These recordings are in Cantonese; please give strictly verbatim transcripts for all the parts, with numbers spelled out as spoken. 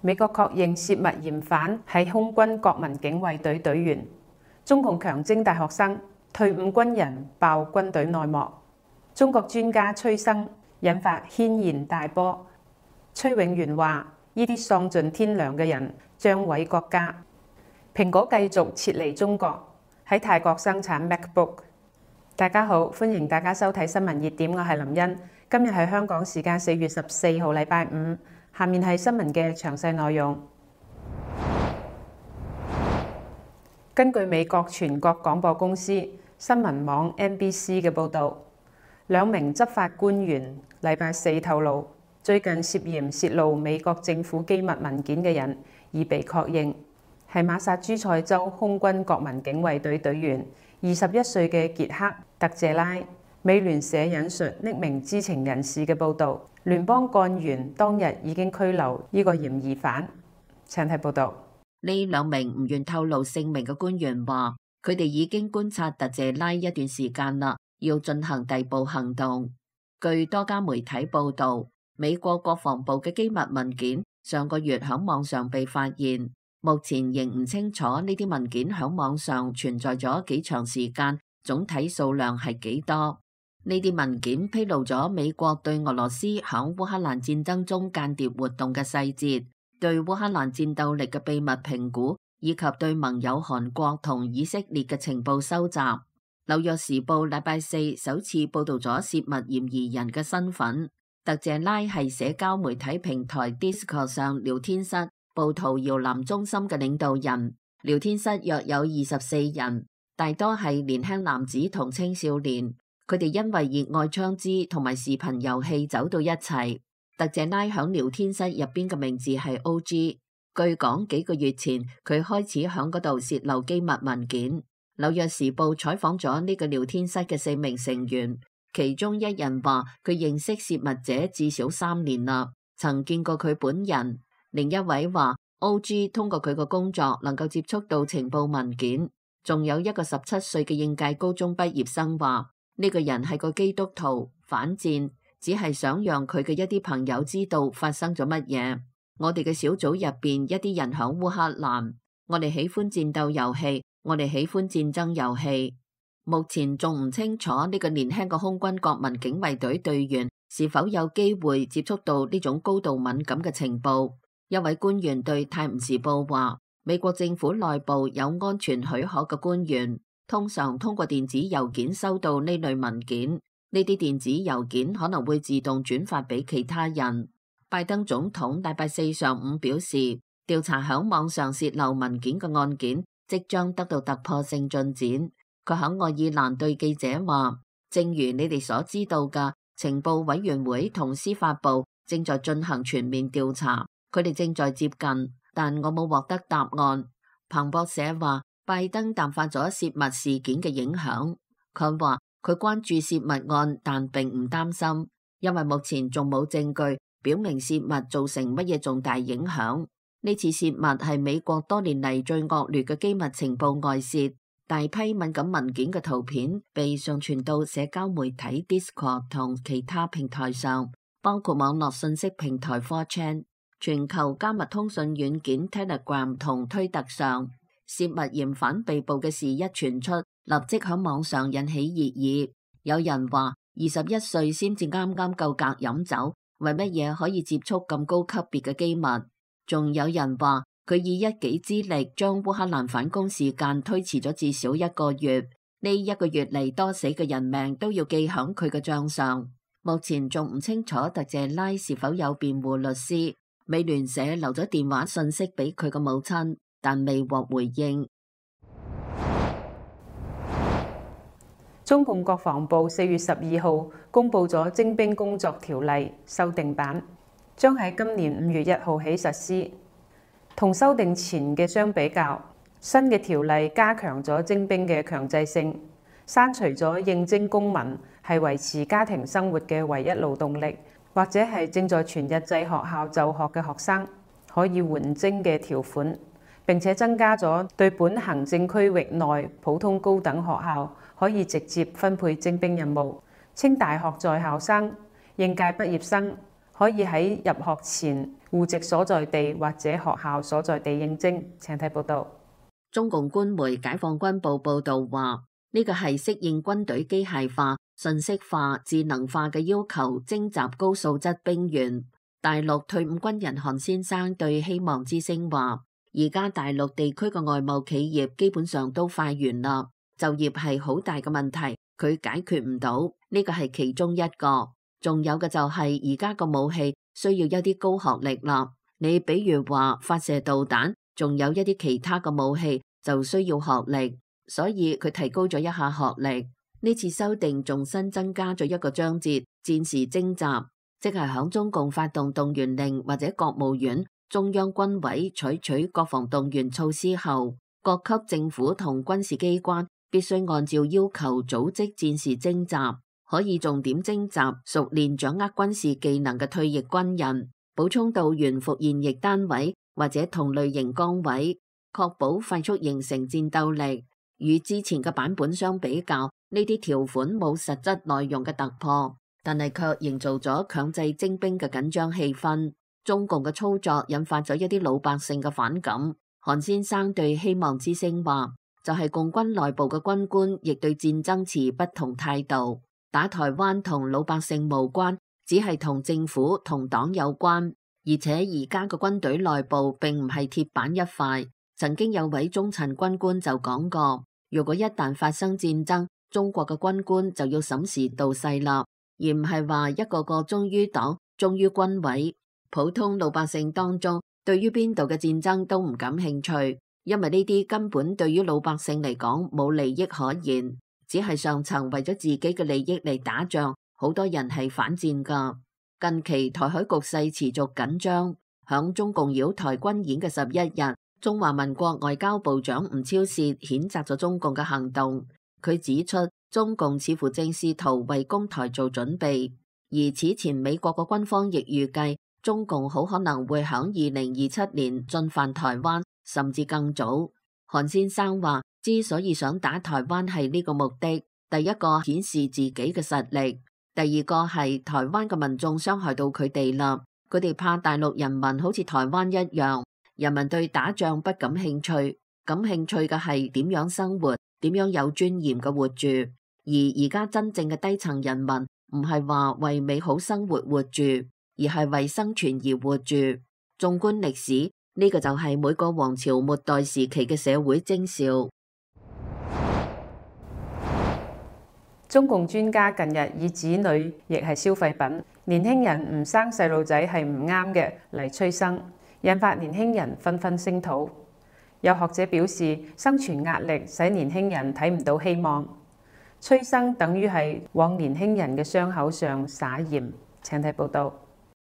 美國確認泄密嫌犯係空軍國民警衛隊隊員。中共強徵大學生，退伍軍人爆軍隊內幕。中國專家催生，引發軒然大波。崔永元話：呢啲喪盡天良嘅人將毀國家。蘋果繼續撤離中國，喺泰國生產 MacBook。大家好，歡迎大家收睇新聞熱點，我係林茵。今日係香港時間四月十四號，禮拜五。下面係新聞嘅詳細內容。根據美國全國廣播公司新聞網 N B C 嘅報導，兩名執法官員禮拜四透露，最近涉嫌泄露美國政府機密文件嘅人已被確認，係馬薩諸塞州空軍國民警衛隊隊員二十一歲嘅傑克·特謝拉。美聯社引述匿名知情人士嘅報導，聯邦幹員當日已經拘留呢個嫌疑犯。請睇報導。呢兩名唔願透露姓名嘅官員話，佢哋已經觀察特謝拉一段時間啦，要進行逮捕行動。據多家媒體報導，美國國防部嘅機密文件上個月喺網上被發現，目前仍唔清楚呢啲文件喺網上存在咗幾長時間，總體數量係幾多。呢啲文件披露咗美國對俄羅斯喺烏克蘭戰爭中間諜活動嘅細節，對烏克蘭戰鬥力嘅秘密評估，以及對盟友韓國同以色列嘅情報收集。紐約時報禮拜四首次報道咗泄密嫌疑人嘅身份。特謝拉係社交媒體平台 Discord 上聊天室暴徒搖籃中心嘅領導人。聊天室約有二十四人，大多係年輕男子同青少年。佢哋因為熱愛槍支同埋視頻遊戲走到一齊。特謝拉響聊天室入邊嘅名字係 O G。據講幾個月前佢開始響嗰度洩漏機密文件。紐約時報採訪咗呢個聊天室嘅四名成員，其中一人話佢認識洩密者至少三年啦，曾見過佢本人。另一位話 O G 通過佢個工作能夠接觸到情報文件。仲有一個十七歲嘅應屆高中畢業生話，呢個人係個基督徒，反戰，只係想讓佢嘅一啲朋友知道發生咗乜嘢。我哋嘅小組入邊一啲人響烏克蘭，我哋喜歡戰鬥遊戲，我哋喜歡戰爭遊戲。目前仲唔清楚呢個年輕嘅空軍國民警衛隊隊員是否有機會接觸到呢種高度敏感嘅情報。一位官員對泰晤士報話，美國政府內部有安全許可嘅官員通常通過電子郵件收到呢類文件，呢啲電子郵件可能會自動轉發俾其他人。拜登總統禮拜四上午表示，調查響網上洩漏文件嘅案件即將得到突破性進展。佢響愛爾蘭對記者話，正如你哋所知道嘅，情報委員會同司法部正在進行全面調查，佢哋正在接近，但我冇獲得答案。彭博社話，拜登淡化咗泄密事件嘅影響。佢話佢關注泄密案，但並唔擔心，因為目前仲冇證據表明泄密造成乜嘢重大影響。呢次泄密係美國多年嚟最惡劣嘅機密情報外泄，大批敏感文件嘅圖片被上傳到社交媒體 Discord 同其他平台上，包括網絡信息平台 four chan、全球加密通訊軟件 Telegram 同推特上。泄密嫌犯被捕嘅事一傳出，立即喺網上引起熱議。有人話二十一歲先至啱啱夠格飲酒，為乜嘢可以接觸咁高級別嘅機密？仲有人話佢以一己之力將烏克蘭反攻時間推遲咗至少一個月，呢一個月嚟多死嘅人命都要記響佢嘅賬上。目前仲唔清楚特謝拉是否有辯護律師。美聯社留咗電話信息俾佢嘅母親，但未獲回應。中共國防部四月十二號公布咗徵兵工作條例修訂版，將喺今年五月一號起實施。同修訂前嘅相比較，新嘅條例加強咗徵兵嘅強制性，刪除咗應徵公民係維持家庭生活嘅唯一勞動力，或者係正在全日制學校就學嘅學生可以緩徵嘅條款。並且增加咗對本行政區域內普通高等學校可以直接分配徵兵任務。清大學在校生、應屆畢業生可以喺入學前戶籍所在地或者學校所在地應徵。請睇報導。中共官媒解放軍報報導話，呢個係適應軍隊機械化、信息化、智能化嘅要求，徵集高素質兵員。大陸退伍軍人韓先生對希望之聲話，而家大陸地區嘅外貿企業基本上都快完啦，就業係好大嘅問題，佢解決唔到，呢個係其中一個。仲有嘅就係而家個武器需要一啲高學歷啦，你比如話發射導彈，仲有一啲其他嘅武器就需要學歷，所以佢提高咗一下學歷。呢次修訂仲新增加咗一個章節，戰時徵集。即係響中共發動動員令或者國務院、中央軍委採取國防動員措施後，各級政府同軍事機關必須按照要求組織戰時徵集，可以重點徵集熟練掌握軍事技能嘅退役軍人，補充到員服現役單位或者同類型崗位，確保快速形成戰鬥力。與之前嘅版本相比較，呢啲條款冇實質內容嘅突破，但係卻營造咗強制徵兵嘅緊張氣氛。中共嘅操作引發咗一啲老百姓嘅反感。韓先生對希望之聲話，就係共軍內部嘅軍官亦對戰爭持不同態度。打台灣同老百姓無關，只係同政府同黨有關。而且而家嘅軍隊內部並唔係鐵板一塊。曾經有位中層軍官就講過，如果一旦發生戰爭，中國嘅軍官就要審時度勢啦，而唔係話一個個忠於黨、忠於軍委。普通老百姓當中，對於邊度嘅戰爭都唔感興趣，因為呢啲根本對於老百姓嚟講冇利益可言，只係上層為咗自己嘅利益嚟打仗。好多人係反戰噶。近期台海局勢持續緊張，響中共擾台軍演嘅十一日，中華民國外交部長吳釗燮譴責咗中共嘅行動。佢指出，中共似乎正試圖為攻台做準備，而此前美國嘅軍方亦預計中共好可能會響二零二七年進犯台灣，甚至更早。韓先生話，之所以想打台灣係呢個目的，第一個顯示自己嘅實力，第二個係台灣嘅民眾傷害到佢哋啦，佢哋怕大陸人民好似台灣一樣，人民對打仗不感興趣，感興趣嘅係點樣生活，點樣有尊嚴嘅活住。而而家真正嘅低層人民唔係話為美好生活活住，而係為生存而活住。縱觀歷史，呢個就係每個王朝末代時期嘅社會徵兆。中共專家近日以子女亦係消費品，年輕人唔生細路仔係唔啱嘅嚟催生，引發年輕人紛紛聲討。有學者表示，生存壓力使年輕人睇唔到希望，催生等於係往年輕人嘅傷口上撒鹽。請睇報道。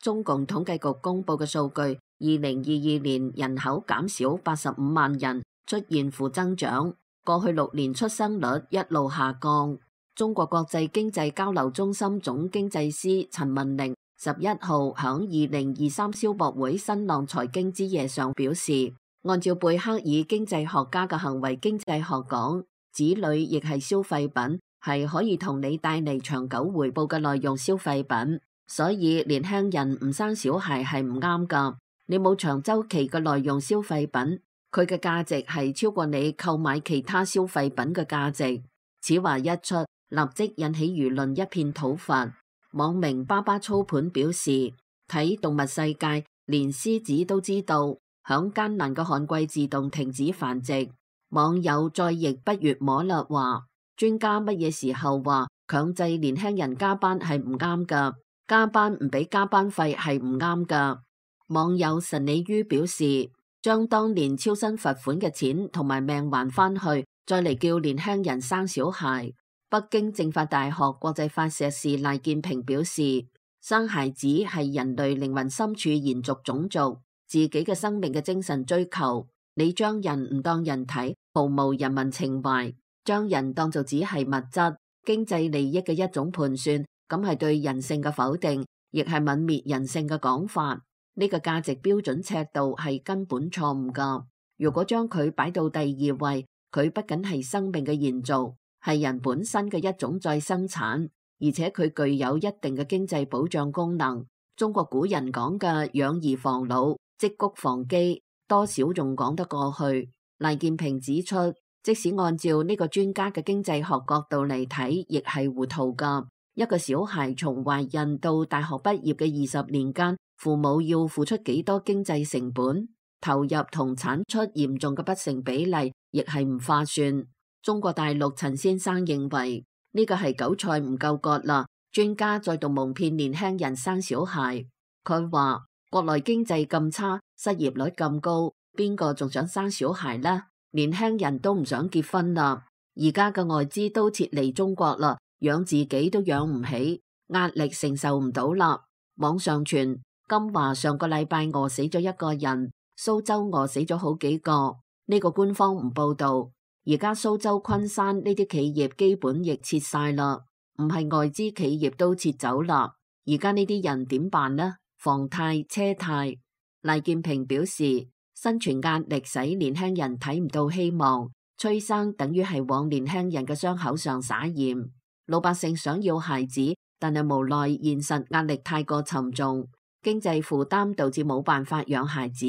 中共統計局公布嘅數據，二零二二年人口減少八十五萬人，出現負增長。過去六年出生率一路下降。中國國際經濟交流中心總經濟師陳文玲十一號響二零二三消博會新浪財經之夜上表示，按照貝克爾經濟學家嘅行為經濟學講，子女亦係消費品，係可以同你帶嚟長久回報嘅耐用消費品。所以年輕人唔生小孩係唔啱噶，你冇長周期嘅耐用消費品，佢嘅價值係超過你購買其他消費品嘅價值。此話一出，立即引起輿論一片討伐。網名爸爸操盤表示，睇動物世界，連獅子都知道響艱難嘅旱季自動停止繁殖。網友再亦不悦摸勒話，專家乜嘢時候話強制年輕人加班係唔啱噶，加班唔俾加班費係唔啱噶。網友神理於表示，將當年超生罰款嘅錢同埋命還翻去，再嚟叫年輕人生小孩。北京政法大學國際法碩士賴建平表示，生孩子係人類靈魂深處延續種族自己嘅生命嘅精神追求。你將人唔當人睇，毫無人民情懷，將人當做只係物質經濟利益嘅一種盤算，咁係對人性嘅否定，亦係泯滅人性嘅講法。呢個價值標準尺度係根本錯誤噶。如果將佢擺到第二位，佢不僅係生命嘅延續，係人本身嘅一種再生產，而且佢具有一定嘅經濟保障功能。中國古人講嘅養兒防老、積谷防饑，多少仲講得過去。賴建平指出，即使按照呢個專家嘅經濟學角度嚟睇，亦係糊塗㗎。一個小孩從懷孕到大學畢業嘅二十年間，父母要付出幾多經濟成本，投入同產出嚴重嘅不成比例，亦係唔划算。中國大陸陳先生認為呢個係韭菜唔夠割啦，專家再度蒙騙年輕人生小孩。佢話國內經濟咁差，失業率咁高，邊個仲想生小孩呢？年輕人都唔想結婚啦，而家嘅外資都撤離中國啦，養自己都養唔起，壓力承受唔到啦。網上傳金華上個禮拜餓死咗一個人，蘇州餓死咗好幾個，呢個官方唔報道。而家蘇州昆山呢啲企業基本亦撤晒啦，唔係外資企業都撤走啦。而家呢啲人點辦呢？房貸、車貸。賴建平表示，生存壓力使年輕人睇唔到希望，催生等於係往年輕人嘅傷口上撒鹽。老百姓想要孩子，但係無奈現實壓力太過沉重，經濟負擔導致冇辦法養孩子，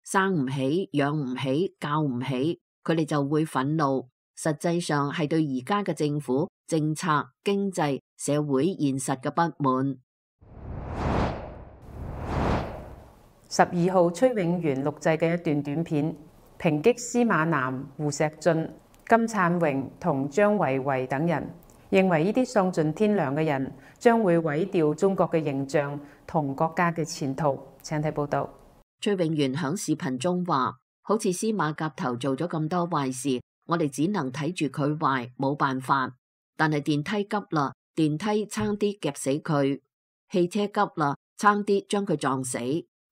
生唔起、養唔起、教唔起，佢哋就會憤怒。實際上係對而家嘅政府政策、經濟、社會現實嘅不滿。十二號崔永元錄製嘅一段短片，抨擊司馬南、胡錫進、金燦榮同張維維等人，認為呢啲喪盡天良嘅人將會毀掉中國嘅形象同國家嘅前途。請睇報道。崔永元響視頻中話，好似司馬甲頭做咗咁多壞事，我哋只能睇住佢壞，冇辦法。但係電梯急啦，電梯差啲夾死佢；汽車急啦，差啲將佢撞死。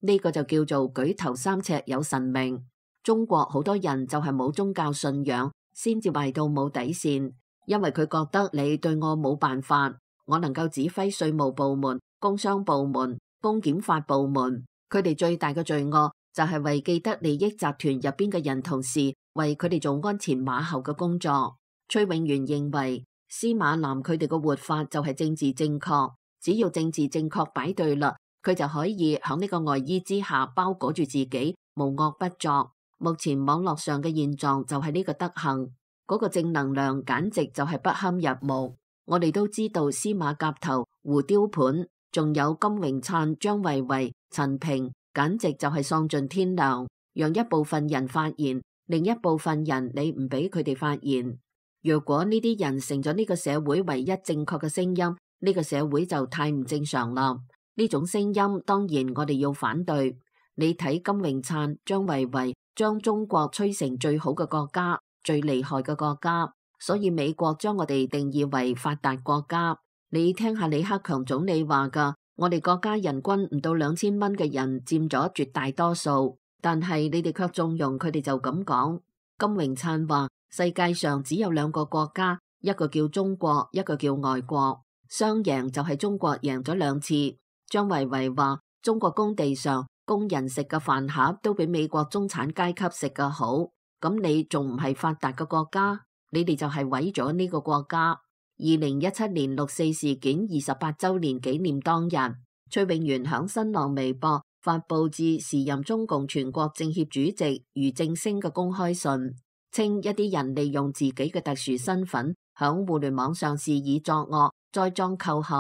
呢個就叫做舉頭三尺有神明。中國好多人就係冇宗教信仰，先至壞到冇底線，因為佢覺得你對我冇辦法，我能夠指揮稅務部門、工商部門、公檢法部門，佢哋最大嘅罪惡就係為既得利益集團入邊嘅人同事，為佢哋做鞍前馬後嘅工作。崔永元認為司馬南佢哋嘅活法就係政治正確，只要政治正確擺對啦，佢就可以喺呢個外衣之下包裹住自己，無惡不作。目前網絡上嘅現狀就係呢個德行，嗰、那個正能量簡直就係不堪入目。我哋都知道司馬甲頭、胡雕盤，仲有金榮燦、張維維、陳平，簡直就係喪盡天良。讓一部分人發言，另一部分人你唔俾佢哋發言。若果呢啲人成咗呢個社會唯一正確嘅聲音，呢、這個社會就太唔正常啦。呢種聲音當然我哋要反對。你睇金榮燦、張維維將中國吹成最好嘅國家、最厲害嘅國家，所以美國將我哋定義為發達國家。你聽下李克強總理話噶，我哋國家人均唔到兩千蚊嘅人佔咗絕大多數，但係你哋卻縱容佢哋就咁講。金榮燦話世界上只有兩個國家，一個叫中國，一個叫外國，雙贏就係中國贏咗兩次。張維維話中國工地上工人食嘅飯盒都比美國中產階級食嘅好，咁你仲唔係發達嘅國家？你哋就係毀咗呢個國家。二零一七年六四事件二十八周年紀念當日，崔永元響新浪微博發佈致時任中共全國政協主席俞正聲嘅公開信，稱一啲人利用自己嘅特殊身份響互聯網上肆意作惡，栽贓扣陷。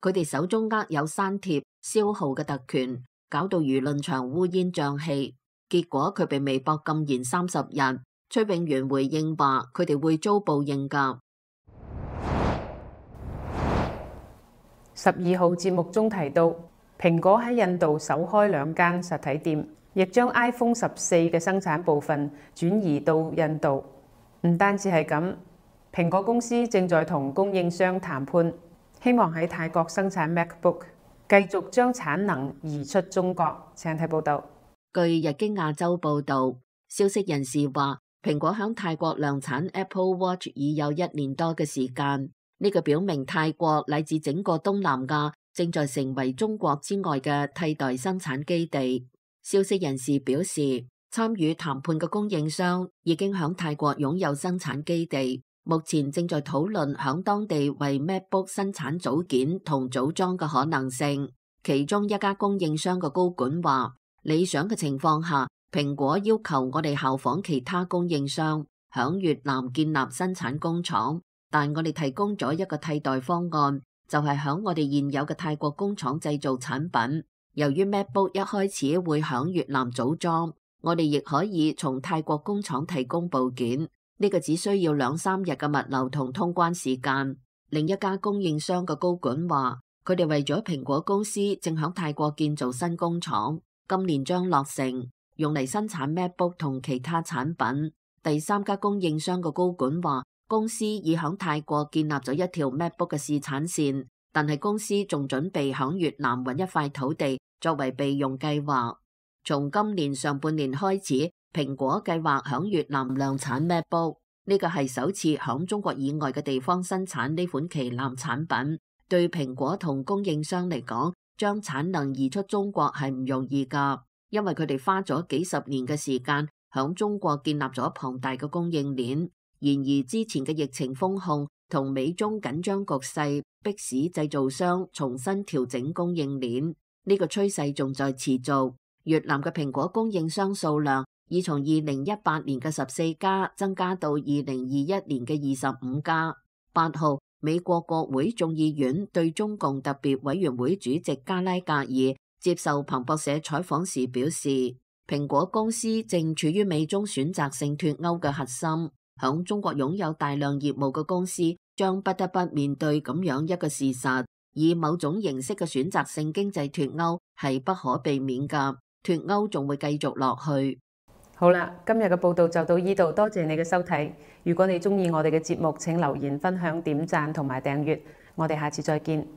佢哋手中握有刪帖、消耗嘅特權，搞到輿論場烏煙瘴氣。結果佢被微博禁言三十日。崔永元回應話：佢哋會遭報應㗎。十二號節目中提到，蘋果喺印度首開兩間實體店，亦將 iPhone 十四嘅生產部分轉移到印度。唔單止係咁，蘋果公司正在同供應商談判，希望喺泰國生產 MacBook， 繼續將產能移出中國。請睇報道。據日經亞洲報導，消息人士話，蘋果響泰國量產 Apple Watch 已有一年多嘅時間，呢、這個表明泰國乃至整個東南亞正在成為中國之外嘅替代生產基地。消息人士表示，參與談判嘅供應商已經響泰國擁有生產基地，目前正在討論響當地為 MacBook 生產組件同組裝嘅可能性。其中一家供應商嘅高管話，理想嘅情況下，蘋果要求我哋效仿其他供應商，響越南建立生產工廠，但我哋提供咗一個替代方案，就係響我哋現有嘅泰國工廠製造產品。由於 MacBook 一開始會響越南組裝，我哋亦可以從泰國工廠提供部件，呢個只需要兩三日嘅物流同通關時間。另一家供應商嘅高管話，佢哋為咗蘋果公司正響泰國建造新工廠，今年將落成，用嚟生產 MacBook 同其他產品。第三家供應商嘅高管話，公司已響泰國建立咗一條 MacBook 嘅試產線，但係公司仲準備響越南揾一塊土地作為備用計劃。從今年上半年開始，蘋果計劃響越南量產 MacBook， 呢個係首次響中國以外嘅地方生產呢款旗艦產品。對蘋果同供應商嚟講，將產能移出中國係唔容易噶，因為佢哋花咗幾十年嘅時間響中國建立咗龐大嘅供應鏈。然而之前嘅疫情封控同美中緊張局勢，迫使製造商重新調整供應鏈，呢個趨勢仲在持續。越南嘅蘋果供應商數量已從二零一八年嘅十四家增加到二零二一年嘅二十五家。八號，美國國會眾議院對中共特別委員會主席加拉格爾接受彭博社採訪時表示，蘋果公司正處於美中選擇性脫歐嘅核心，響中國擁有大量業務嘅公司將不得不面對咁樣一個事實，以某種形式嘅選擇性經濟脫歐係不可避免㗎，脫歐仲會繼續落去。好啦，今日嘅報道就到呢度，多謝你嘅收睇。如果你鍾意我哋嘅節目，請留言、分享、點讚同埋訂閱。我哋下次再見。